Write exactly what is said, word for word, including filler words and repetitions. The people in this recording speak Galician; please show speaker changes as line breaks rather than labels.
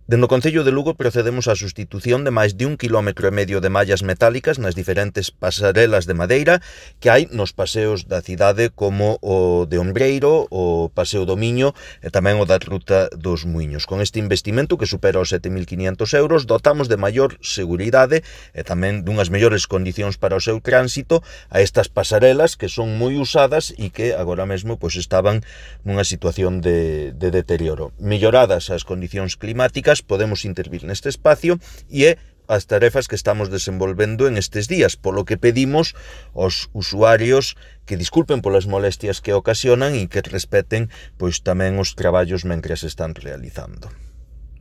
Dende o Concello de Lugo procedemos á sustitución de máis de un quilómetro e medio de mallas metálicas nas diferentes pasarelas de madeira que hai nos paseos da cidade como o de Ombreiro, o Paseo do Miño e tamén o da Ruta dos Muiños. Con este investimento que supera os sete mil quinientos euros dotamos de maior seguridade e tamén dunhas mellores condicións para o seu tránsito a estas pasarelas que son moi usadas e que agora mesmo pois, estaban nunha situación de, de deterioro. Melloradas as condicións climáticas, podemos intervir neste espacio e é as tarefas que estamos desenvolvendo en estes días, polo que pedimos aos usuarios que disculpen polas molestias que ocasionan e que respeten pois tamén os traballos mentres están realizando.